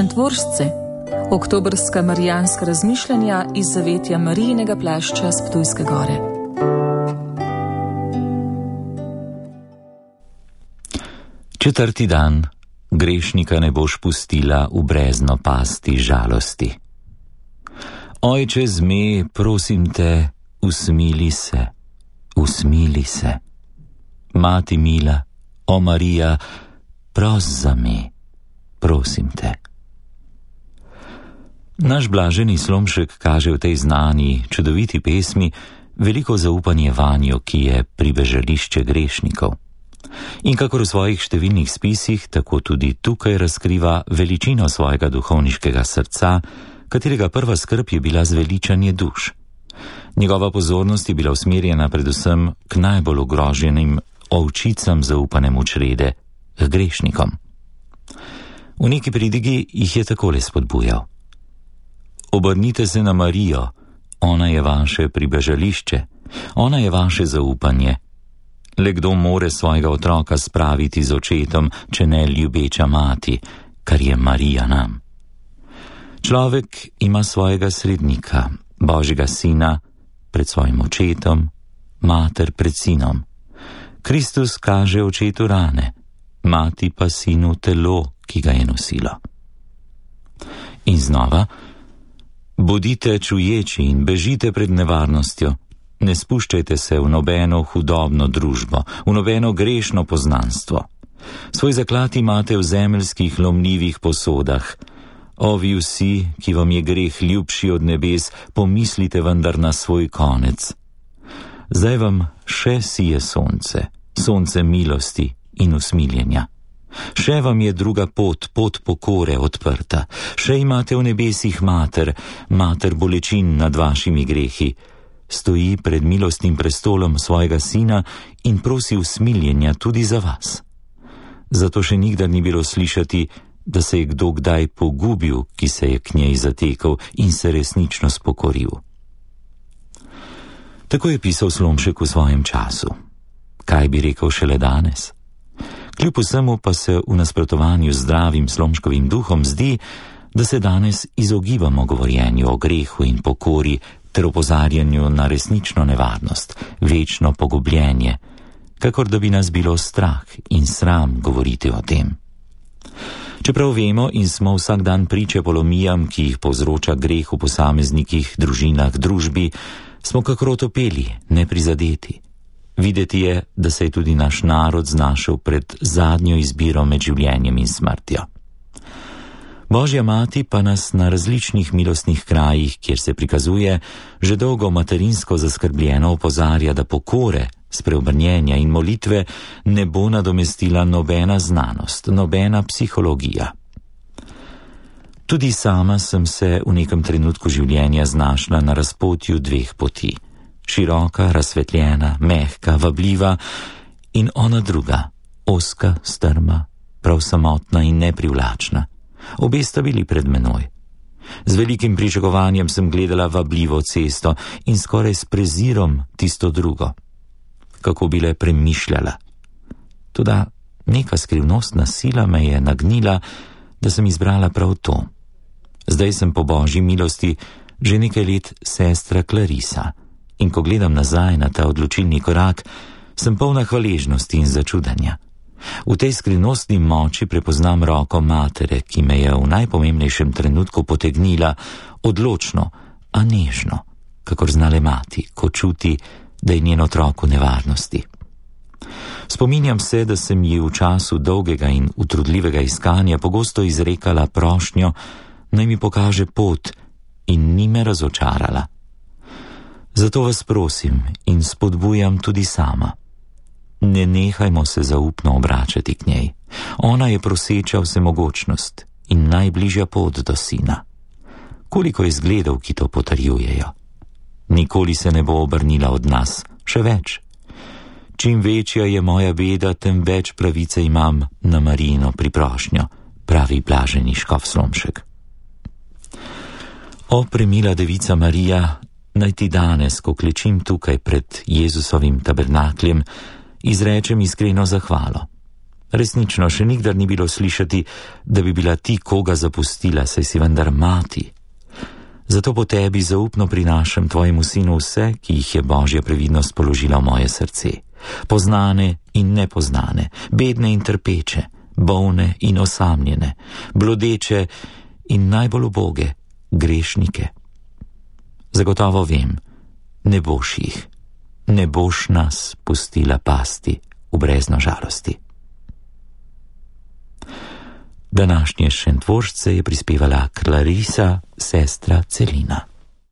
Šentvoržce, oktobrska marijanska razmišljanja iz zavetja Marijinega plašča s Ptujske gore. Četrti dan, grešnika ne boš pustila v brezno pasti žalosti. Ojče zme, prosim te, usmili se, usmili se. Mati mila, o Marija, pros za me, prosim te. Naš blaženi Slomšek kaže v tej znani, čudoviti pesmi veliko zaupanje vanjo, ki je pribežališče grešnikov. In kakor v svojih številnih spisih, tako tudi tukaj razkriva veličino svojega duhovniškega srca, katerega prva skrb je bila zveličanje duš. Njegova pozornost je bila usmerjena predvsem k najbolj ogroženim ovčicam zaupanem v črede, k grešnikom. V neki pridigi jih je takole spodbujal. Obrnite se na Marijo, ona je vaše pribežališče, ona je vaše zaupanje. Le kdo more svojega otroka spraviti z očetom, če ne ljubeča mati, kar je Marija nam. Človek ima svojega srednika, Božjega sina, pred svojim očetom, mater pred sinom. Kristus kaže očetu rane, mati pa sinu telo, ki ga je nosilo. In znova, bodite čuječi in bežite pred nevarnostjo. Ne spuščajte se v nobeno hudobno družbo, v nobeno grešno poznanstvo. Svoj zaklad imate v zemeljskih lomljivih posodah. O vi vsi, ki vam je greh ljubši od nebes, pomislite vendar na svoj konec. Zdaj vam še sije sonce, sonce milosti in usmiljenja. Še vam je druga pot, pot pokore odprta. Še imate v nebesih mater, mater bolečin nad vašimi grehi. Stoji pred milostnim prestolom svojega sina in prosi usmiljenja tudi za vas. Zato še nikdar ni bilo slišati, da se je kdo kdaj pogubil, ki se je k njej zatekal in se resnično spokoril. Tako je pisal Slomšek v svojem času. Kaj bi rekel šele danes? Kljub vsemu pa se v nasprotovanju z zdravim Slomškovim duhom zdi, da se danes izogibamo govorjenju o grehu in pokori ter opozarjanju na resnično nevarnost, večno pogubljenje, kakor da bi nas bilo strah in sram govoriti o tem. Čeprav vemo in smo vsak dan priče polomijam, ki jih povzroča greh v posameznikih, družinah, družbi, smo kakor otopeli, neprizadeti. Videti je, da se je tudi naš narod znašel pred zadnjo izbiro med življenjem in smrtjo. Božja mati pa nas na različnih milostnih krajih, kjer se prikazuje, že dolgo materinsko zaskrbljeno opozarja, da pokore, spreobrnjenja in molitve ne bo nadomestila nobena znanost, nobena psihologija. Tudi sama sem se v nekem trenutku življenja znašla na razpotju dveh poti. Široka, razsvetljena, mehka, vabljiva in ona druga, ozka, strma, prav samotna in neprivlačna. Obe sta bili pred menoj. Z velikim pričakovanjem sem gledala vabljivo cesto in skoraj s prezirom tisto drugo. Kako bi le premišljala. Toda neka skrivnostna sila me je nagnila, da sem izbrala prav to. Zdaj sem po Božji milosti že nekaj let sestra Clarisa in ko gledam nazaj na ta odločilni korak, sem polna hvaležnosti in začudanja. V tej skrivnostni moči prepoznam roko matere, ki me je v najpomembnejšem trenutku potegnila odločno, a nežno, kakor znale mati, ko čuti, da je njen otrok v nevarnosti. Spominjam se, da sem ji v času dolgega in utrudljivega iskanja pogosto izrekala prošnjo, naj mi pokaže pot in ni me razočarala. Zato vas prosim in spodbujam tudi sama. Ne nehajmo se zaupno obračati k njej. Ona je proseča vsemogočnost in najbližja pot do sina. Koliko je zgledov, ki to potrjujejo. Nikoli se ne bo obrnila od nas, še več. Čim večja je moja beda, tem več pravice imam na Marijino priprošnjo, pravi blaženi škof Slomšek. O premila devica Marija, naj ti danes, ko klečim tukaj pred Jezusovim tabernakljem, izrečem iskreno zahvalo. Resnično še nikdar ni bilo slišati, da bi bila ti koga zapustila, saj si vendar mati. Zato po tebi zaupno prinašam tvojemu sinu vse, ki jih je Božja previdnost položila v moje srce. Poznane in nepoznane, bedne in trpeče, bolne in osamljene, blodeče in najbolj uboge, grešnike. Zagotovo vem, ne boš jih, ne boš nas pustila pasti v brezno žalosti. Današnje šentvožce je prispevala Clarisa, sestra Celina.